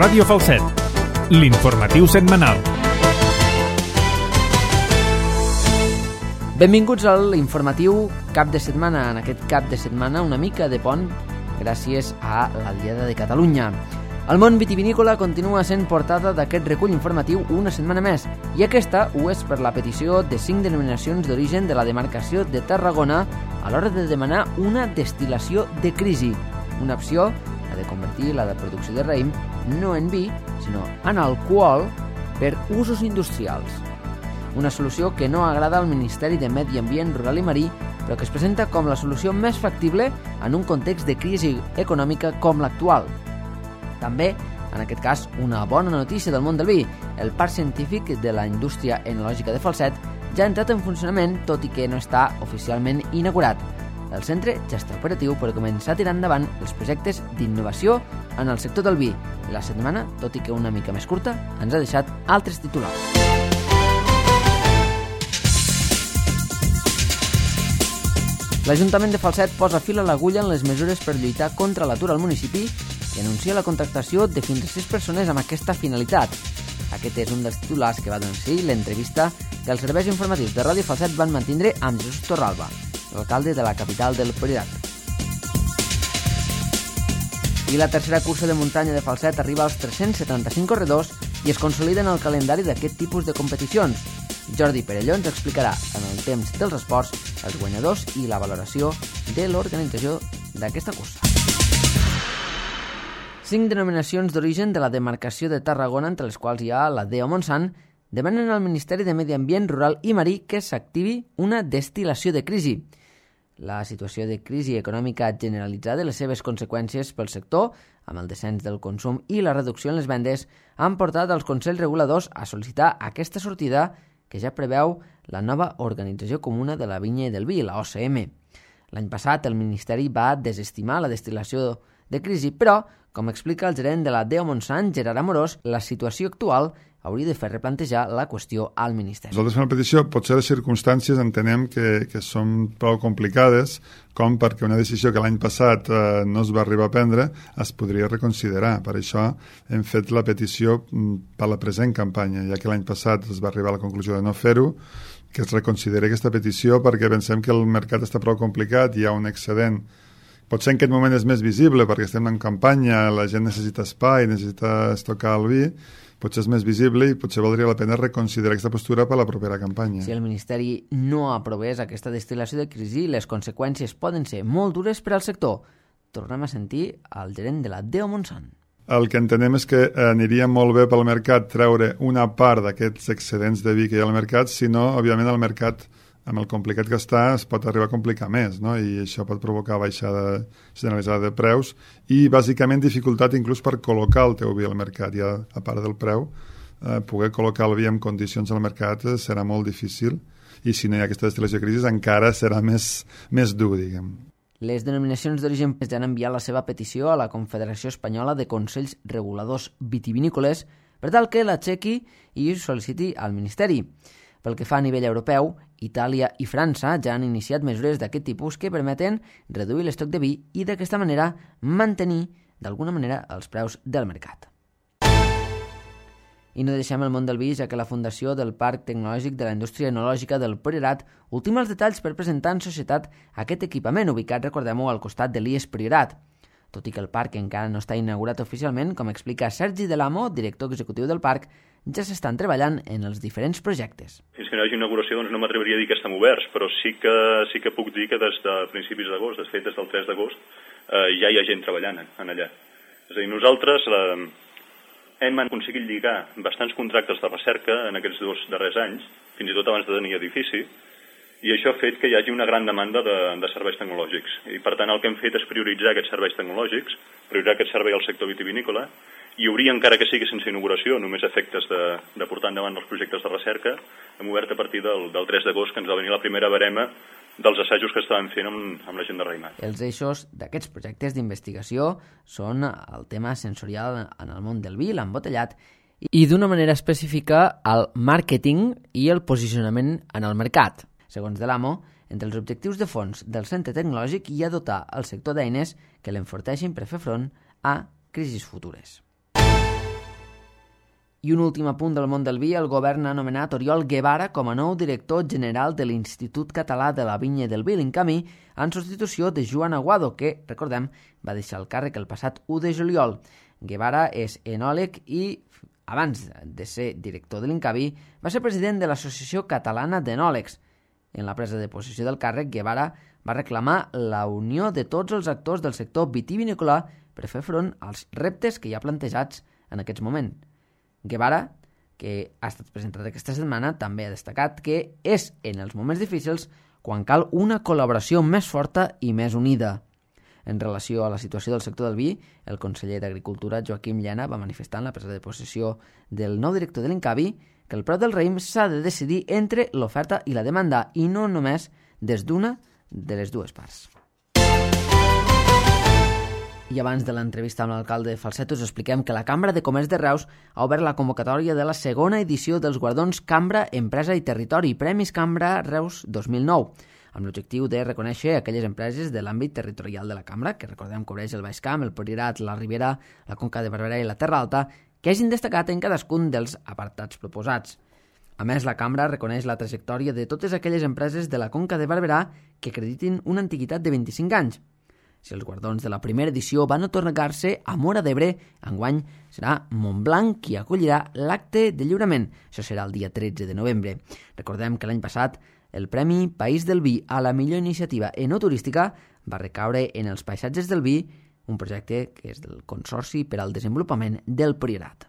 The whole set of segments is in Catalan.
Ràdio Falset, l'informatiu setmanal. Benvinguts a l'informatiu cap de setmana. En aquest cap de setmana una mica de pont gràcies a la Diada de Catalunya. El món vitivinícola continua sent portada d'aquest recull informatiu una setmana més, i aquesta ho és per la petició de 5 denominacions d'origen de la demarcació de Tarragona a l'hora de demanar una destil·lació de crisi, una opció, la de convertir la de producció de raïm no en vi, sinó en alcohol per usos industrials. Una solució que no agrada al Ministeri de Medi Ambient, Rural i Marí, però que es presenta com la solució més factible en un context de crisi econòmica com l'actual. També, en aquest cas, una bona notícia del món del vi. El Parc Científic de la Indústria Enològica de Falset ja ha entrat en funcionament, tot i que no està oficialment inaugurat. El centre ja està operatiu per començar a tirar endavant els projectes d'innovació en el sector del vi. La setmana, tot i que una mica més curta, ens ha deixat altres titulars. L'Ajuntament de Falset posa fil a l'agulla en les mesures per lluitar contra l'atur al municipi i anuncia la contractació de fins a 6 persones amb aquesta finalitat. Aquest és un dels titulars que va donar l'entrevista que els serveis informatius de Ràdio Falset van mantindre amb Jesús Torralba, l'alcalde de la capital del Priorat. I la tercera cursa de muntanya de Falset arriba als 375 corredors i es consolida en el calendari d'aquest tipus de competicions. Jordi Perelló ens explicarà en el temps dels esports els guanyadors i la valoració de l'organització d'aquesta cursa. 5 denominacions d'origen de la demarcació de Tarragona, entre les quals hi ha la DEO Montsant, demanen al Ministeri de Medi Ambient, Rural i Marí que s'activi una destil·lació de crisi. La situació de crisi econòmica generalitzada i les seves conseqüències pel sector, amb el descens del consum i la reducció en les vendes, han portat els consells reguladors a sol·licitar aquesta sortida que ja preveu la nova Organització Comuna de la Vinya i del Vi, la OCM. L'any passat el Ministeri va desestimar la destil·lació de crisi, però, com explica el gerent de la DEO Montsant, Gerard Amorós, la situació actual hauria de fer replantejar la qüestió al Ministeri. Nosaltres fem la petició, potser les circumstàncies entenem que són prou complicades, com perquè una decisió que l'any passat no es va arribar a prendre es podria reconsiderar. Per això hem fet la petició per la present campanya, ja que l'any passat es va arribar a la conclusió de no fer-ho, que es reconsideri aquesta petició perquè pensem que el mercat està prou complicat, hi ha un excedent. Potser en aquest moment és més visible perquè estem en campanya, la gent necessita espai, necessita estocar el vi, potser és més visible i potser valdria la pena reconsiderar aquesta postura per a la propera campanya. Si el Ministeri no aprovés aquesta destil·lació de crisi, les conseqüències poden ser molt dures per al sector. Tornem a sentir el gerent de la DEO Montsant. El que entenem és que aniria molt bé pel mercat treure una part d'aquests excedents de vi que hi ha al mercat, si no, òbviament, el mercat, amb el complicat que està, es pot arribar a complicar més, no? I això pot provocar baixada generalitzada de preus i, bàsicament, dificultat inclús per col·locar el teu vi al mercat. Ja, a part del preu, poder col·locar el vi en condicions al mercat serà molt difícil i, si no hi ha aquesta destil·lació de crisi, encara serà més dur, diguem. Les denominacions d'origen ja han enviat la seva petició a la Confederació Espanyola de Consells Reguladors Vitivinícoles per tal que l'aixequi i sol·liciti al Ministeri. Pel que fa a nivell europeu, Itàlia i França ja han iniciat mesures d'aquest tipus que permeten reduir l'estoc de vi i d'aquesta manera mantenir, d'alguna manera, els preus del mercat. I no deixem el món del vi, ja que la Fundació del Parc Tecnològic de la Indústria Enològica del Priorat ultima els detalls per presentar en societat aquest equipament ubicat, recordem-ho, al costat de l'IES Priorat. Tot i que el parc encara no està inaugurat oficialment, com explica Sergi Delamo, director executiu del parc, ja s'estan treballant en els diferents projectes. Fins que no hi hagi inauguració doncs no m'atreviria a dir que estem oberts, però sí que puc dir que des de principis d'agost, de fet des del 3 d'agost, ja hi ha gent treballant en allà. És a dir, nosaltres hem aconseguit lligar bastants contractes de recerca en aquests 2 darrers anys, fins i tot abans de tenir edifici, i això ha fet que hi hagi una gran demanda de serveis tecnològics. I per tant el que hem fet és prioritzar aquests serveis tecnològics, prioritzar aquest servei al sector vitivinícola, i obrir, encara que sigui sense inauguració, només efectes de portar endavant els projectes de recerca, hem obert a partir del 3 d'agost, que ens va venir la primera barema dels assajos que estàvem fent amb la gent de Raïmat. Els eixos d'aquests projectes d'investigació són el tema sensorial en el món del vi, l'embotellat, i d'una manera específica el màrqueting i el posicionament en el mercat. Segons Delamo, entre els objectius de fons del centre tecnològic hi ha dotar el sector d'eines que l'enforteixin per fer front a crisis futures. I un últim apunt del món del vi, el govern ha nomenat Oriol Guevara com a nou director general de l'Institut Català de la Vinya i del Vi, l'INCAMI, en substitució de Joan Aguado, que, recordem, va deixar el càrrec el passat 1 de juliol. Guevara és enòleg i, abans de ser director de l'INCAVI, va ser president de l'Associació Catalana d'Enòlegs. En la presa de possessió del càrrec, Guevara va reclamar la unió de tots els actors del sector vitivinícola per fer front als reptes que hi ha plantejats en aquests moments. Guevara, que ha estat presentat aquesta setmana, també ha destacat que és en els moments difícils quan cal una col·laboració més forta i més unida. En relació a la situació del sector del vi, el conseller d'Agricultura, Joaquim Llena, va manifestar en la presa de possessió del nou director de l'INCAVI que el preu del raïm s'ha de decidir entre l'oferta i la demanda i no només des d'una de les dues parts. I abans de l'entrevista amb l'alcalde de Falset us expliquem que la Cambra de Comerç de Reus ha obert la convocatòria de la segona edició dels guardons Cambra, Empresa i Territori, Premis Cambra Reus 2009, amb l'objectiu de reconèixer aquelles empreses de l'àmbit territorial de la Cambra, que recordem cobreix el Baix Camp, el Priorat, la Ribera, la Conca de Barberà i la Terra Alta, que hagin destacat en cadascun dels apartats proposats. A més, la Cambra reconeix la trajectòria de totes aquelles empreses de la Conca de Barberà que acreditin una antiguitat de 25 anys. Si els guardons de la primera edició van atorgar-se a Móra d'Ebre, enguany serà Montblanc qui acollirà l'acte de lliurament. Això serà el dia 13 de novembre. Recordem que l'any passat el Premi País del Vi a la millor iniciativa enoturística va recaure en els paisatges del vi, un projecte que és del Consorci per al Desenvolupament del Priorat.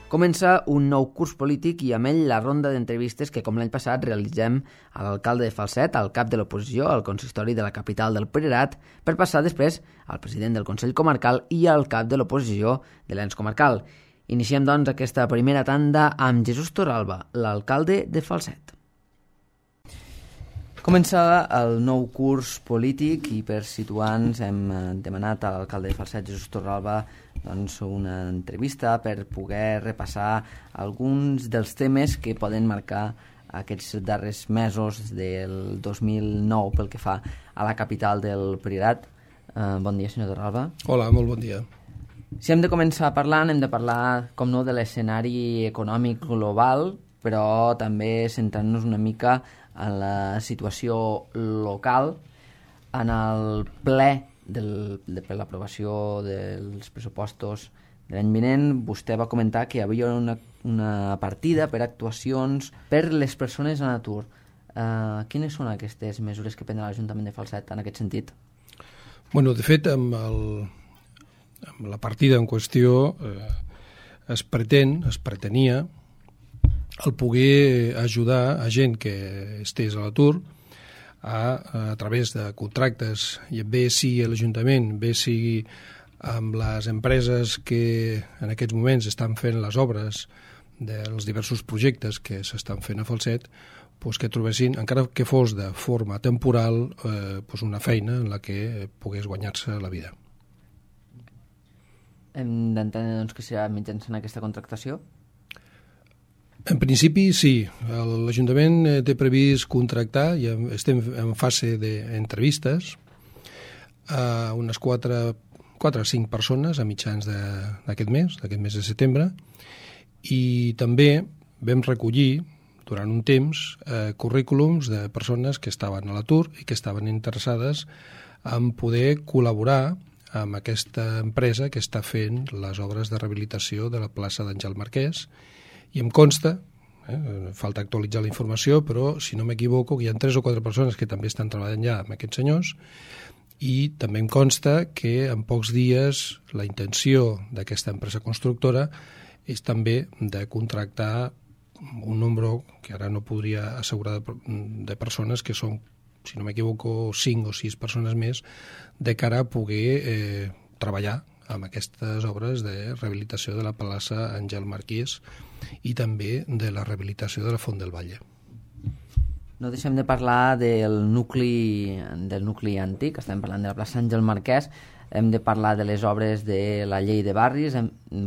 Comença un nou curs polític i amb ell la ronda d'entrevistes que, com l'any passat, realitzem a l'alcalde de Falset, al cap de l'oposició, al consistori de la capital del Priorat, per passar després al president del Consell Comarcal i al cap de l'oposició de l'ens comarcal. Iniciem, doncs, aquesta primera tanda amb Jesús Torralba, l'alcalde de Falset. Comença el nou curs polític i per situar-nos hem demanat a l'alcalde de Falset, Jesús Torralba, doncs, una entrevista per poder repassar alguns dels temes que poden marcar aquests darrers mesos del 2009 pel que fa a la capital del Priorat. Bon dia, senyor Torralba. Hola, molt bon dia. Si hem de començar parlant, hem de parlar, com no, de l'escenari econòmic global, però també centrant-nos una mica en la situació local. En el ple per l'aprovació dels pressupostos de l'any vinent, vostè va comentar que hi havia una partida per actuacions per les persones en atur. Quines són aquestes mesures que prendrà l'Ajuntament de Falset en aquest sentit? Bueno, de fet, amb la partida en qüestió es pretenia el poder ajudar a gent que estés a l'atur a través de contractes, i bé sigui a l'Ajuntament, bé sigui amb les empreses que en aquests moments estan fent les obres dels diversos projectes que s'estan fent a Falset, doncs que trobessin, encara que fos de forma temporal, una feina en la que pogués guanyar-se la vida. Hem d'entendre, doncs, que serà mitjançant aquesta contractació? En principi, sí. L'Ajuntament té previst contractar, i estem en fase d'entrevistes, a unes 4 o 5 persones a mitjans d'aquest mes de setembre, i també vam recollir durant un temps currículums de persones que estaven a l'atur i que estaven interessades en poder col·laborar amb aquesta empresa que està fent les obres de rehabilitació de la plaça d'Àngel Marquès. I em consta, falta actualitzar la informació, però si no m'equivoco hi ha 3 o 4 persones que també estan treballant ja amb aquests senyors, i també em consta que en pocs dies la intenció d'aquesta empresa constructora és també de contractar un nombre que ara no podria assegurar de persones, que són, si no m'equivoco, 5 o 6 persones més, de cara a poder treballar amb aquestes obres de rehabilitació de la plaça Àngel Marquès i també de la rehabilitació de la Font del Valle. No deixem de parlar del nucli antic, estem parlant de la plaça Àngel Marquès, hem de parlar de les obres de la llei de barris.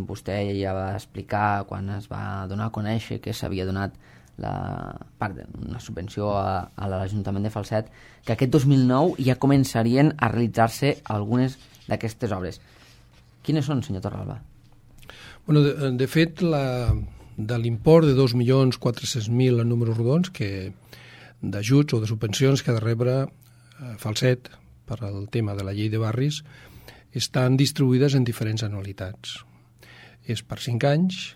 Vostè ja va explicar quan es va donar a conèixer que s'havia donat una subvenció a l'Ajuntament de Falset, que aquest 2009 ja començarien a realitzar-se algunes d'aquestes obres. Quines són, senyor Torralba? Bueno, de fet, de l'import de 2.400.000 en números rodons d'ajuts o de subvencions que ha de rebre Falset per al tema de la llei de barris estan distribuïdes en diferents anualitats. És per 5 anys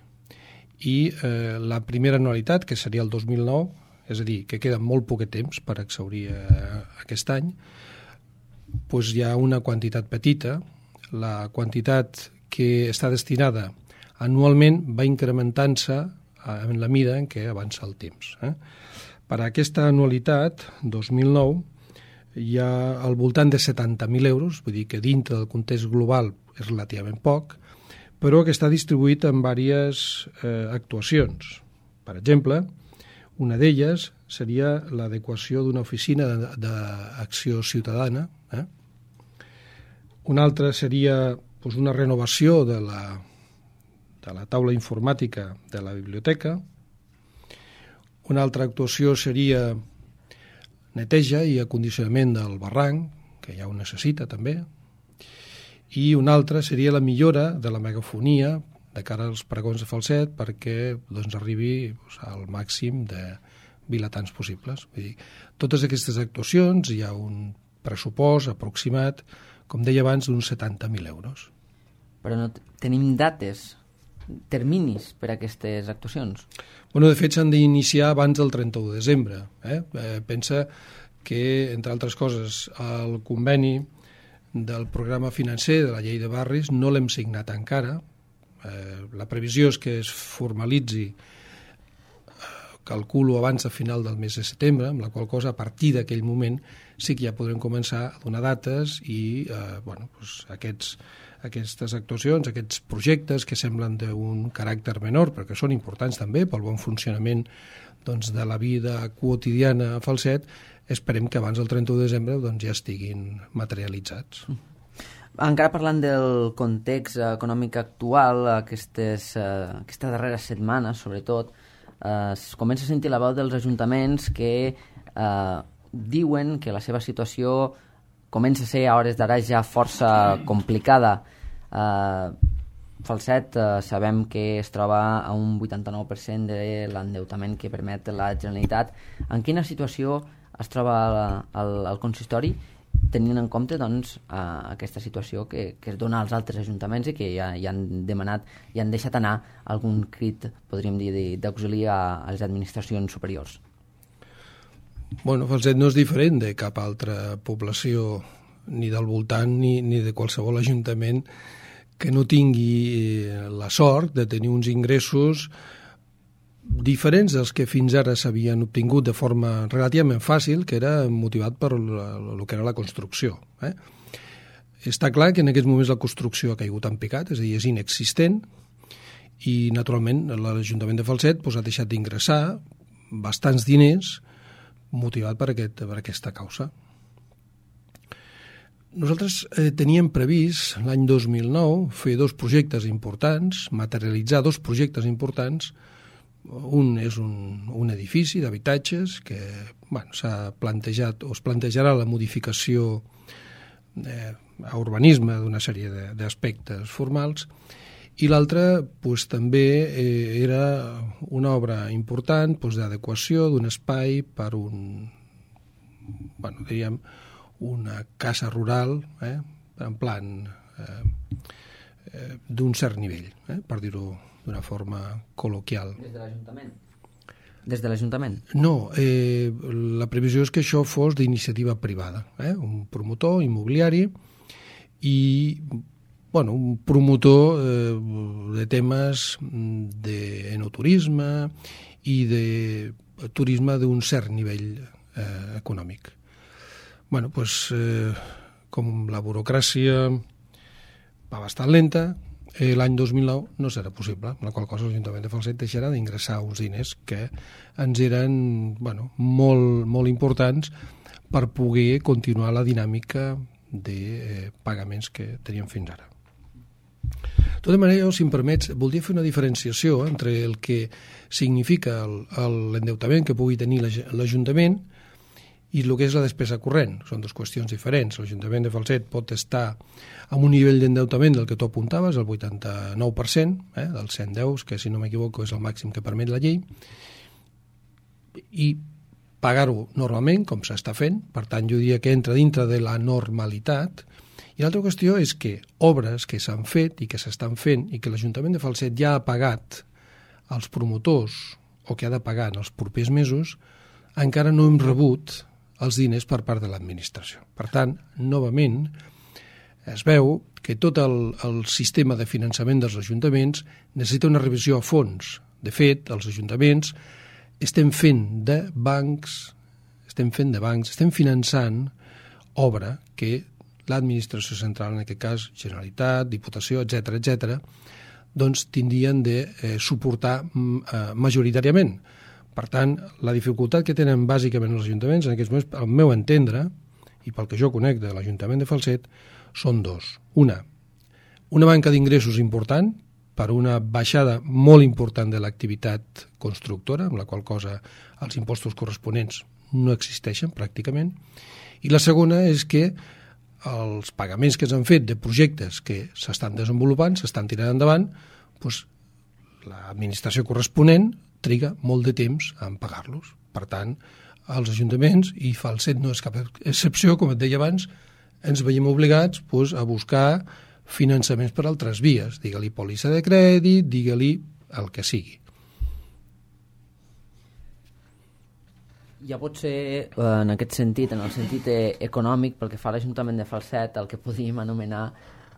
i la primera anualitat, que seria el 2009, és a dir, que queda molt poc temps per exhaurir aquest any, doncs hi ha una quantitat petita. La quantitat que està destinada anualment va incrementant-se en la mida en què avança el temps. Per a aquesta anualitat, 2009, hi ha al voltant de 70.000 euros, vull dir que dintre del context global és relativament poc, però que està distribuït en diverses actuacions. Per exemple, una d'elles seria l'adequació d'una oficina d'acció ciutadana. Una altra seria una renovació de la taula informàtica de la biblioteca. Una altra actuació seria neteja i acondicionament del barranc, que ja ho necessita també. I una altra seria la millora de la megafonia de cara als pregons de Falset perquè arribi al màxim de vilatans possibles. Vull dir, totes aquestes actuacions hi ha un pressupost aproximat, com deia abans, d'uns 70.000 euros. Però no tenim dates, terminis per a aquestes actuacions? Bueno, de fet, s'han d'iniciar abans del 31 de desembre. Pensa que, entre altres coses, el conveni del programa financer de la llei de barris no l'hem signat encara. La previsió és que es formalitzi, calculo, abans de final del mes de setembre, amb la qual cosa, a partir d'aquell moment, sí que ja podrem començar a donar dates i aquestes actuacions, aquests projectes que semblen d'un caràcter menor, però que són importants també pel bon funcionament de la vida quotidiana a Falset, esperem que abans del 31 de desembre ja estiguin materialitzats. Encara parlant del context econòmic actual, aquesta darrera setmana, sobretot, es comença a sentir la veu dels ajuntaments que diuen que la seva situació comença a ser a hores d'ara ja força complicada. Falset sabem que es troba a un 89% de l'endeutament que permet la Generalitat. En quina situació es troba el consistori, tenint en compte aquesta situació que es dona als altres ajuntaments i que ja han demanat i han deixat anar algun crit, podríem dir, d'auxili a les administracions superiors? Bueno, Falset no és diferent de cap altra població, ni del voltant ni de qualsevol ajuntament que no tingui la sort de tenir uns ingressos diferents dels que fins ara s'havien obtingut de forma relativament fàcil, que era motivat per el que era la construcció. Està clar que en aquests moments la construcció ha caigut en picat, és a dir, és inexistent, i naturalment l'Ajuntament de Falset ha deixat d'ingressar bastants diners motivat per aquesta causa. Nosaltres teníem previst l'any 2009 fer dos projectes importants, materialitzar dos projectes importants. Un és un edifici d'habitatges que s'ha plantejat o es plantejarà la modificació a urbanisme d'una sèrie d'aspectes formals, i l'altre també era una obra important d'adequació d'un espai per una casa rural en plan d'un cert nivell, per dir-ho d'una forma col·loquial. Des de l'Ajuntament? Des de l'Ajuntament? No, la previsió és que això fos d'iniciativa privada, un promotor immobiliari i un promotor de temes d'enoturisme i de turisme d'un cert nivell econòmic. Com la burocràcia va bastant lenta, l'any 2009 no serà possible, amb la qual cosa l'Ajuntament de Falset deixarà d'ingressar uns diners que ens eren molt, molt importants per poder continuar la dinàmica de pagaments que teníem fins ara. De tota manera, si em permets, voldria fer una diferenciació entre el que significa l'endeutament que pugui tenir l'Ajuntament i el que és la despesa corrent. Són dues qüestions diferents. L'Ajuntament de Falset pot estar amb un nivell d'endeutament del que tu apuntaves, el 89%, dels 110, que si no m'equivoco és el màxim que permet la llei, i pagar-ho normalment, com s'està fent. Per tant, jo diria que entra dintre de la normalitat. I l'altra qüestió és que obres que s'han fet i que s'estan fent i que l'Ajuntament de Falset ja ha pagat als promotors o que ha de pagar en els propers mesos, encara no hem rebut els diners per part de l'administració. Per tant, novament, es veu que tot el sistema de finançament dels ajuntaments necessita una revisió a fons. De fet, els ajuntaments estem fent de bancs, estem finançant obra que l'administració central, en aquest cas Generalitat, Diputació, etc., doncs tindrien de suportar majoritàriament. Per tant, la dificultat que tenen bàsicament els ajuntaments en aquests moments, al meu entendre, i pel que jo conec de l'Ajuntament de Falset, són dos. Una manca d'ingressos important per una baixada molt important de l'activitat constructora, amb la qual cosa els impostos corresponents no existeixen pràcticament, i la segona és que els pagaments que s'han fet de projectes que s'estan desenvolupant, s'estan tirant endavant, doncs l'administració corresponent triga molt de temps en pagar-los. Per tant, els ajuntaments, i Falset no és cap excepció, com et deia abans, ens veiem obligats a buscar finançaments per altres vies, digue-li pòlissa de crèdit, digue-li el que sigui. Ja pot ser, en aquest sentit, en el sentit econòmic, pel que fa a l'Ajuntament de Falset, el que podríem anomenar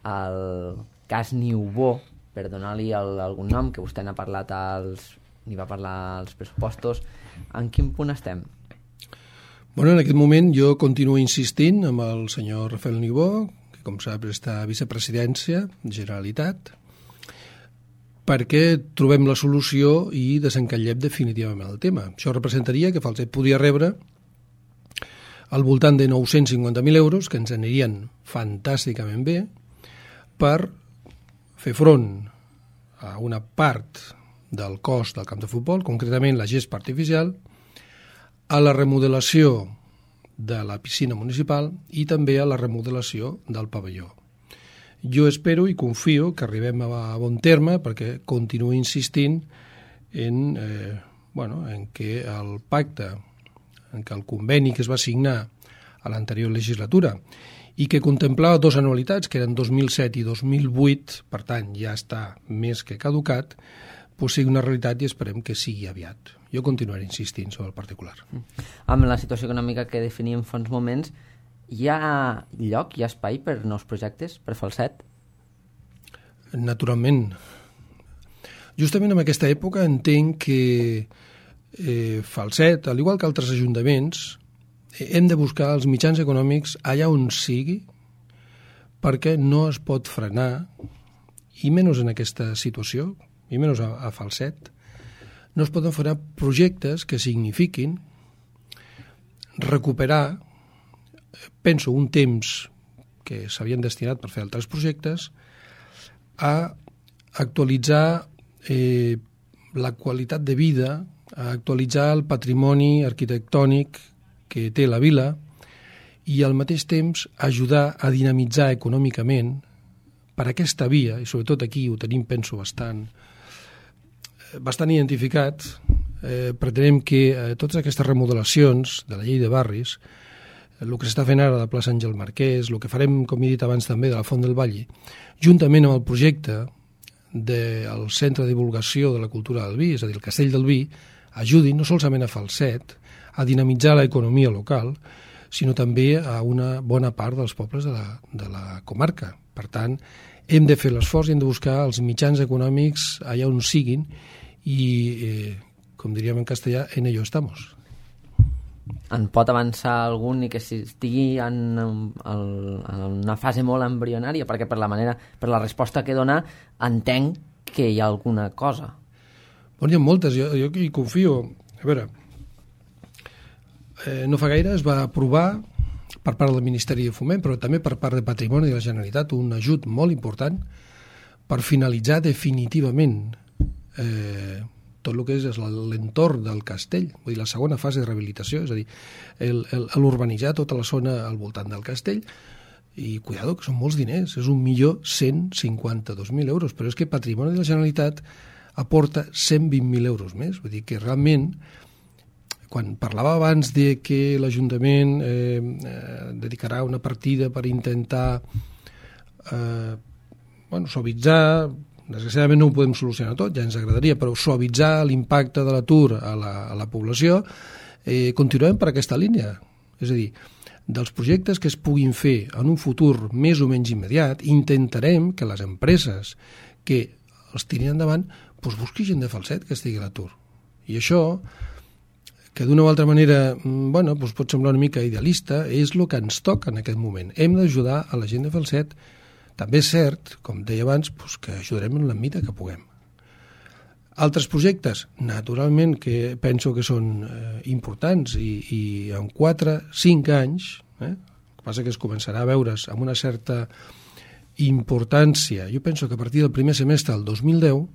el cas Niubó, per donar-li algun nom, que vostè n'ha parlat n'hi va parlar als pressupostos. En quin punt estem? Bueno, en aquest moment jo continuo insistint amb el senyor Rafael Niubó, que com sap està a vicepresidència, Generalitat, perquè trobem la solució i desencallem definitivament el tema. Això representaria que Falset podria rebre al voltant de 950.000 euros, que ens anirien fantàsticament bé, per fer front a una part del cost del camp de futbol, concretament la gespa artificial, a la remodelació de la piscina municipal i també a la remodelació del pavelló. Jo espero i confio que arribem a bon terme, perquè continuo insistint en que el pacte, en que el conveni que es va signar a l'anterior legislatura i que contemplava dues anualitats, que eren 2007 i 2008, per tant ja està més que caducat, sigui una realitat i esperem que sigui aviat. Jo continuaré insistint sobre el particular. Amb la situació econòmica que definíem fa uns moments, hi ha lloc, hi ha espai per nous projectes, per Falset? Naturalment. Justament en aquesta època entenc que Falset, al igual que altres ajuntaments, hem de buscar els mitjans econòmics allà on sigui, perquè no es pot frenar, i menys en aquesta situació, i menys a Falset, no es poden frenar projectes que signifiquin recuperar, penso, un temps que s'havien destinat per fer altres projectes, a actualitzar la qualitat de vida, a actualitzar el patrimoni arquitectònic que té la vila i al mateix temps ajudar a dinamitzar econòmicament per aquesta via, i sobretot aquí ho tenim, penso, bastant identificat. Pretenem que totes aquestes remodelacions de la llei de barris, el que s'està fent ara de plaça Àngel Marquès, el que farem, com he dit abans també, de la Font del Valle, juntament amb el projecte del Centre de Divulgació de la Cultura del Vi, és a dir, el Castell del Vi, ajudin no solament a Falset a dinamitzar l'economia local, sinó també a una bona part dels pobles de la comarca. Per tant, hem de fer l'esforç i hem de buscar els mitjans econòmics allà on siguin i, com diríem en castellà, en ello estamos. En pot avançar algun i que estigui en una fase molt embrionària? Perquè per la resposta que dona entenc que hi ha alguna cosa. Bon, hi ha moltes, jo hi confio. A veure, no fa gaire es va aprovar per part del Ministeri de Foment, però també per part de Patrimoni de la Generalitat, un ajut molt important per finalitzar definitivament tot el que és l'entorn del castell, vull dir, la segona fase de rehabilitació, és a dir, l'urbanitzar tota la zona al voltant del castell, i cuidado, que són molts diners, és 1.152.000 euros, però és que Patrimoni de la Generalitat aporta 120.000 euros més, vull dir que realment, quan parlava abans de que l'Ajuntament dedicarà una partida per intentar suavitzar, desgraciadament no ho podem solucionar tot, ja ens agradaria, però suavitzar l'impacte de l'atur a la població, continuem per aquesta línia. És a dir, dels projectes que es puguin fer en un futur més o menys immediat, intentarem que les empreses que els tirin endavant busqui gent de Falset que estigui a l'atur. I això, que d'una o altra manera pot semblar una mica idealista, és el que ens toca en aquest moment. Hem d'ajudar a la gent de Falset. També és cert, com deia abans, que ajudarem en la mida que puguem. Altres projectes, naturalment, que penso que són importants i en 4-5 anys, el que passa que es començarà a veure's amb una certa importància. Jo penso que a partir del primer semestre del 2010,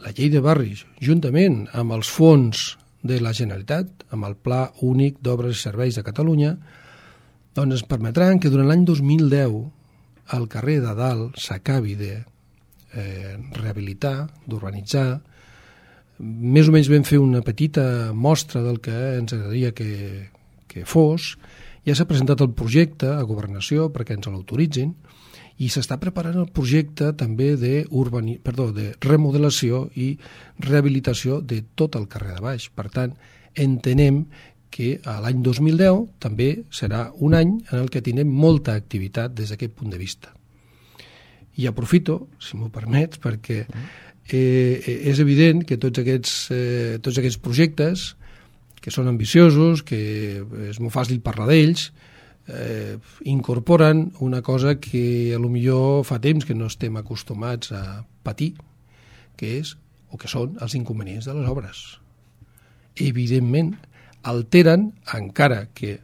la llei de barris, juntament amb els fons de la Generalitat, amb el Pla Únic d'Obres i Serveis de Catalunya, doncs ens permetran que durant l'any 2010 el carrer de Dalt s'acabi de rehabilitar, d'urbanitzar. Més o menys vam fer una petita mostra del que ens agradaria que fos. Ja s'ha presentat el projecte a Governació perquè ens l'autoritzin i s'està preparant el projecte també de remodelació i rehabilitació de tot el carrer de baix. Per tant, entenem que l'any 2010 també serà un any en el que tindrem molta activitat des d'aquest punt de vista. I aprofito, si m'ho permets, perquè és evident que tots aquests projectes, que són ambiciosos, que és molt fàcil parlar d'ells, incorporen una cosa que potser fa temps que no estem acostumats a patir, que són els inconvenients de les obres. Evidentment, alteren, encara que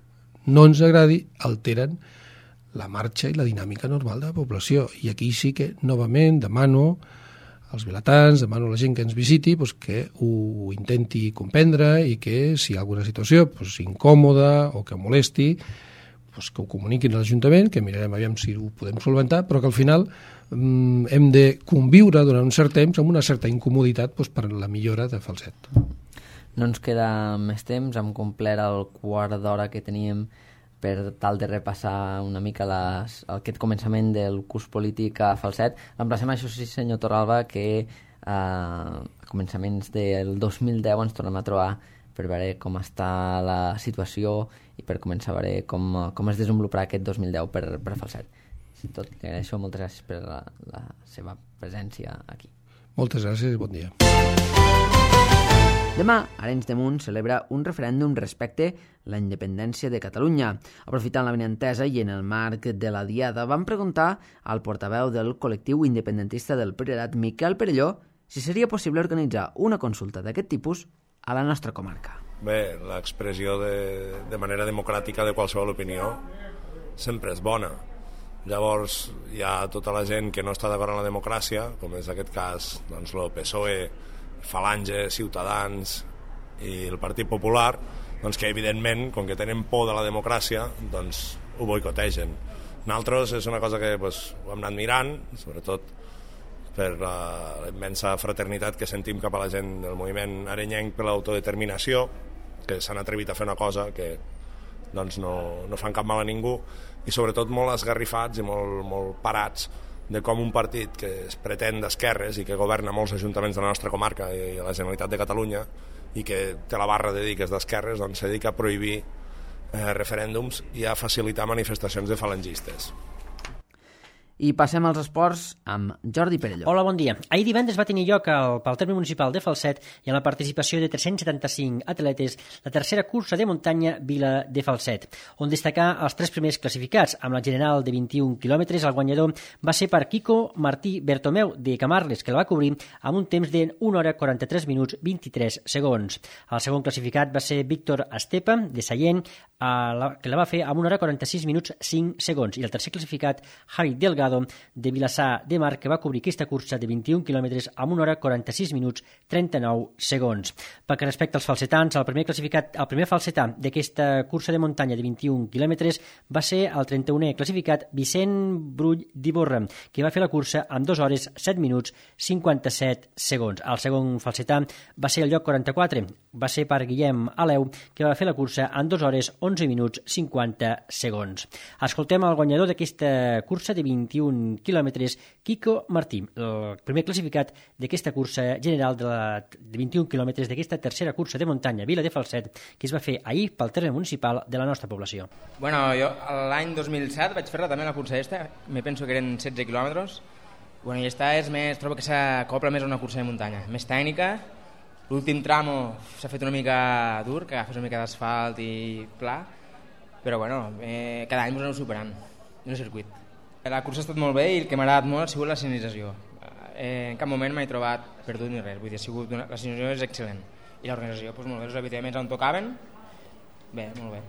no ens agradi, alteren la marxa i la dinàmica normal de la població. I aquí sí que, novament, demano als vilatans, demano a la gent que ens visiti que ho intenti comprendre i que, si hi ha alguna situació incòmoda o que molesti, que ho comuniquin a l'Ajuntament, que mirarem aviam si ho podem solventar, però que al final hem de conviure durant un cert temps amb una certa incomoditat per la millora de Falset. No ens queda més temps, hem complert el quart d'hora que teníem per tal de repassar una mica aquest començament del curs polític a Falset. L'emplacem, això sí, senyor Torralba, que a començaments del 2010 ens tornem a trobar per veure com està la situació i per començar a veure com es desenvoluparà aquest 2010 per Falset. Si tot, li agraeixo, moltes gràcies per la seva presència aquí. Moltes gràcies i bon dia. Demà, Arenys de Munt celebra un referèndum respecte a la independència de Catalunya. Aprofitant la benentesa i en el marc de la Diada, vam preguntar al portaveu del col·lectiu independentista del Priorat, Miquel Perelló, si seria possible organitzar una consulta d'aquest tipus a la nostra comarca. Bé, l'expressió de manera democràtica de qualsevol opinió sempre és bona. Llavors hi ha tota la gent que no està d'acord amb la democràcia, com és aquest cas doncs, el PSOE, Falange, Ciutadans i el Partit Popular, doncs que evidentment, com que tenen por de la democràcia, doncs ho boicotegen. Nosaltres és una cosa que ho hem anat mirant, sobretot per la immensa fraternitat que sentim cap a la gent del moviment arenyenc per l'autodeterminació, que s'han atrevit a fer una cosa que doncs, no fan cap mal a ningú, i sobretot molt esgarrifats i molt parats de com un partit que es pretén d'esquerres i que governa molts ajuntaments de la nostra comarca i la Generalitat de Catalunya i que té la barra de dir que és d'esquerres, doncs se dedica a prohibir referèndums i a facilitar manifestacions de falangistes. I passem als esports amb Jordi Perelló. Hola, bon dia. Ahir divendres va tenir lloc pel terme municipal de Falset i amb la participació de 375 atletes la tercera cursa de muntanya Vila de Falset, on destacar els 3 primers classificats. Amb la general de 21 quilòmetres, el guanyador va ser per Quico Martí Bertomeu de Camarles, que la va cobrir amb un temps de 1 hora 43 minuts 23 segons. El segon classificat va ser Víctor Estepa de Sallent que la va fer amb 1 hora 46 minuts 5 segons. I el tercer classificat, Javi Delgado, de Vilassar de Mar, que va cobrir aquesta cursa de 21 quilòmetres amb 1 hora 46 minuts 39 segons. Pel que respecta als falsetans, el primer falsetà d'aquesta cursa de muntanya de 21 quilòmetres va ser el 31è classificat Vicent Brull d'Iborra, que va fer la cursa amb 2 hores 7 minuts 57 segons. El segon falsetà va ser el lloc 44, va ser per Guillem Aleu, que va fer la cursa en 2 hores 11 minuts 50 segons. Escoltem el guanyador d'aquesta cursa de 21 quilòmetres, Quico Martí, el primer classificat d'aquesta cursa general de 21 quilòmetres d'aquesta tercera cursa de muntanya Vila de Falset, que es va fer ahir pel terme municipal de la nostra població. Bueno, jo l'any 2007 vaig fer-la també la cursa aquesta, me penso que eren 16 quilòmetres. Bueno, i esta és més, trobo que s'acopla més a una cursa de muntanya, més tècnica. L'últim tramo s'ha fet una mica dur, que agafes una mica d'asfalt i pla, però bueno, cada any ens anem superant en el circuit. La cursa ha estat molt bé i el que m'ha agradat molt ha sigut la senyalització. En cap moment m'he trobat perdut ni res, vull dir, la senyalització és excel·lent. I l'organització, doncs molt bé, els avituallaments on tocaven, bé, molt bé.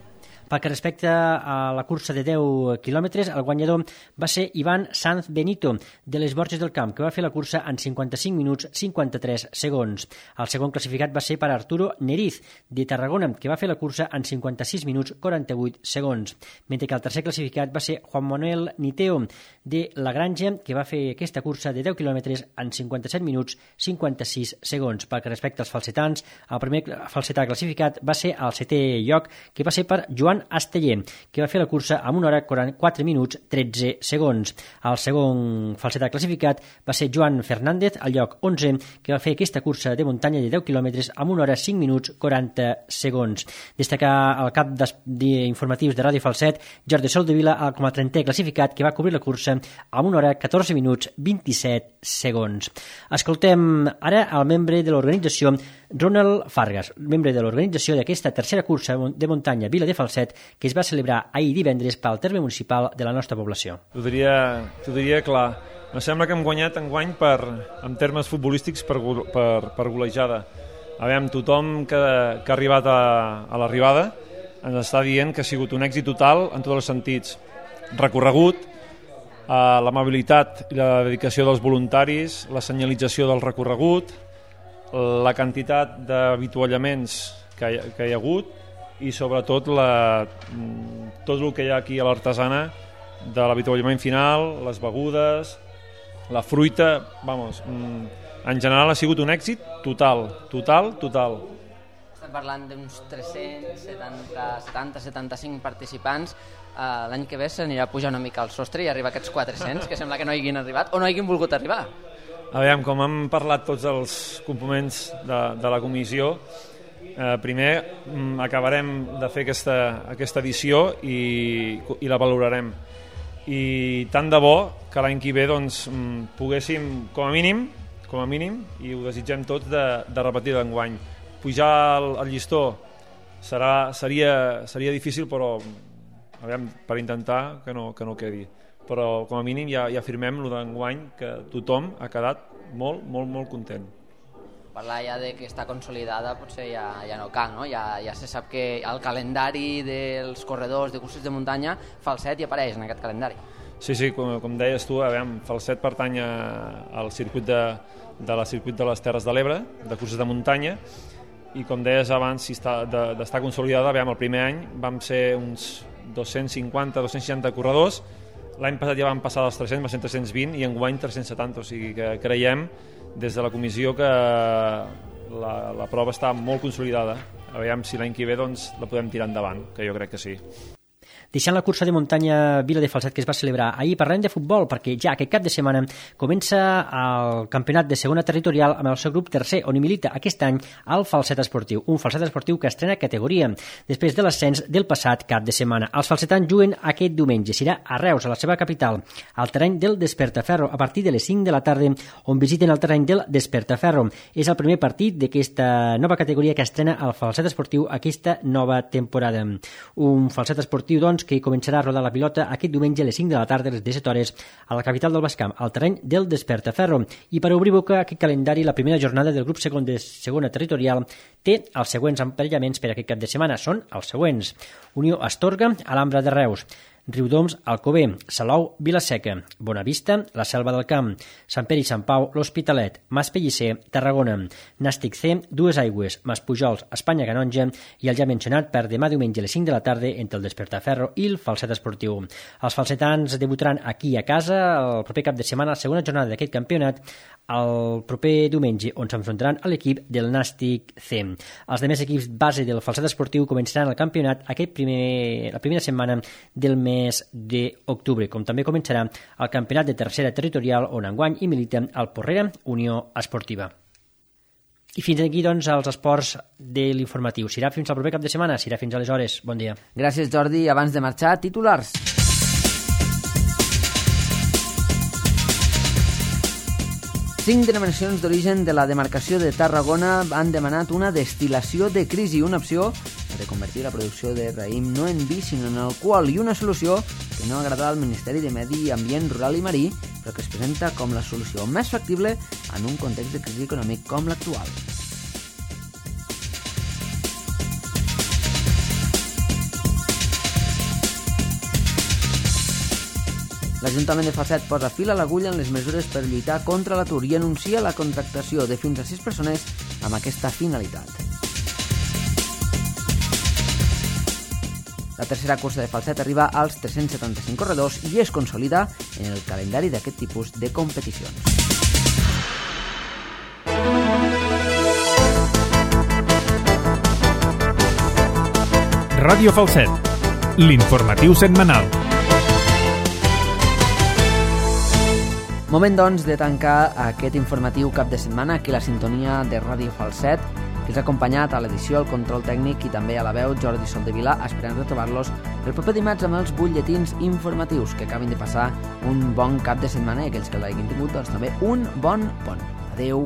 Pel que respecta a la cursa de 10 quilòmetres, el guanyador va ser Ivan Sanz Benito, de les Borges del Camp, que va fer la cursa en 55 minuts 53 segons. El segon classificat va ser per Arturo Neriz, de Tarragona, que va fer la cursa en 56 minuts 48 segons. Mentre que el tercer classificat va ser Juan Manuel Niteo, de La Granja, que va fer aquesta cursa de 10 quilòmetres en 57 minuts 56 segons. Pel que respecta als falsetans, el primer falsetà classificat va ser el 7è lloc, que va ser per Joan Asteller, que va fer la cursa amb 1 hora 4 minuts 13 segons. El segon falsetà classificat va ser Joan Fernández, al lloc 11, que va fer aquesta cursa de muntanya de 10 quilòmetres amb 1 hora 5 minuts 40 segons. Destacar el cap d'informatius de Ràdio Falset, Jordi Soldevila, com a 30è classificat, que va cobrir la cursa amb 1 hora 14 minuts 27 segons. Escoltem ara el membre de l'organització, Ronald Fargas, membre de l'organització d'aquesta tercera cursa de muntanya Vila de Falset, que es va celebrar ahir divendres pel terme municipal de la nostra població. T'ho diria clar. Em sembla que hem guanyat enguany en termes futbolístics per golejada. Aviam, tothom que ha arribat a l'arribada ens està dient que ha sigut un èxit total en tots els sentits. Recorregut, l'amabilitat i la dedicació dels voluntaris, la senyalització del recorregut, la quantitat d'avituallaments que hi ha hagut i sobretot tot el que hi ha aquí a l'Artesana de l'avituallament final, les begudes, la fruita, en general ha sigut un èxit total. Estem parlant d'uns 370-75 participants. L'any que ve s'anirà a pujar una mica al sostre i arribar a aquests 400, que sembla que no hagin arribat o no hagin volgut arribar. Aviam, com han parlat tots els components de la comissió, primer acabarem de fer aquesta edició i la valorarem. I tant de bo que l'any que ve poguéssim, com a mínim, i ho desitgem tots, de repetir d'enguany. Pujar el llistó seria difícil, però aviam, per intentar que no quedi. Però com a mínim ja afirmem lo d'enguany, que tothom ha quedat molt, molt, molt content. Parlar ja de que està consolidada potser ja no cal, no? Ja se sap que el calendari dels corredors de curses de muntanya, Falset hi apareix en aquest calendari. Sí, com deies tu, Falset pertany al circuit de les Terres de l'Ebre, de curses de muntanya, i com deies abans, d'estar consolidada, el primer any vam ser uns 250-260 corredors, l'any passat ja van passar dels 300, va ser 320, i enguany 370, o sigui que creiem des de la comissió que la prova està molt consolidada. Aviam si l'any que ve la podem tirar endavant, que jo crec que sí. Deixant la cursa de muntanya Vila de Falset, que es va celebrar ahir, parlem de futbol, perquè ja aquest cap de setmana comença el campionat de segona territorial amb el seu grup tercer, on hi milita aquest any el Falset Esportiu, un Falset Esportiu que estrena categoria després de l'ascens del passat cap de setmana. Els falsetans juguen aquest diumenge, serà a Reus, a la seva capital, al terreny del Despertaferro, a partir de les 5 de la tarda, on visiten el terreny del Despertaferro. És el primer partit d'aquesta nova categoria que estrena el Falset Esportiu aquesta nova temporada. Un Falset Esportiu, doncs, doncs, que començarà a rodar la pilota aquest diumenge a les 5 de la tarda, a les 17 hores, a la capital del Baix Camp, al terreny del Despertaferro. I per obrir boca aquest calendari, la primera jornada del grup segon de segona territorial té els següents emparellaments per aquest cap de setmana. Són els següents: Unió Astorga, Alhambra de Reus, Riudoms, Alcover, Salou, Vilaseca, Bonavista, la Selva del Camp, Sant Pere i Sant Pau, l'Hospitalet, Mas Pellicer, Tarragona, Nàstic C, Dues Aigües, Mas Pujols, Espanya Canonja i el ja mencionat per demà diumenge a les 5 de la tarda entre el Despertaferro i el Falset Esportiu. Els falsetans debutaran aquí a casa el proper cap de setmana, la segona jornada d'aquest campionat, el proper diumenge, on s'enfrontaran a l'equip del Nàstic C. Els demés equips base del Falset Esportiu començaran el campionat la primera setmana del mes d'octubre, com també començarà el campionat de tercera territorial, on enguany hi milita el Porrera Unió Esportiva. I fins aquí, doncs, els esports de l'informatiu. Serà fins al proper cap de setmana, serà fins aleshores. Bon dia. Gràcies, Jordi. Abans de marxar, titulars. 5 denominacions d'origen de la demarcació de Tarragona han demanat una destil·lació de crisi, una opció de convertir la producció de raïm no en vi sinó en alcohol, i una solució que no agrada al Ministeri de Medi Ambient Rural i Marí, però que es presenta com la solució més factible en un context de crisi econòmic com l'actual. L'Ajuntament de Falset posa fil a l'agulla en les mesures per lluitar contra l'atur i anuncia la contractació de fins a 6 persones amb aquesta finalitat. La tercera cursa de Falset arriba als 375 corredors i es consolida en el calendari d'aquest tipus de competicions. Ràdio Falset, l'informatiu setmanal. Moment, doncs, de tancar aquest informatiu cap de setmana aquí a la sintonia de Ràdio Falset, que els ha acompanyat a l'edició, al control tècnic i també a la veu Jordi Soldevila, esperant retrobar-los el proper dimarts amb els butlletins informatius. Que acabin de passar un bon cap de setmana i aquells que l'hagin tingut, doncs també un bon pont. Adeu.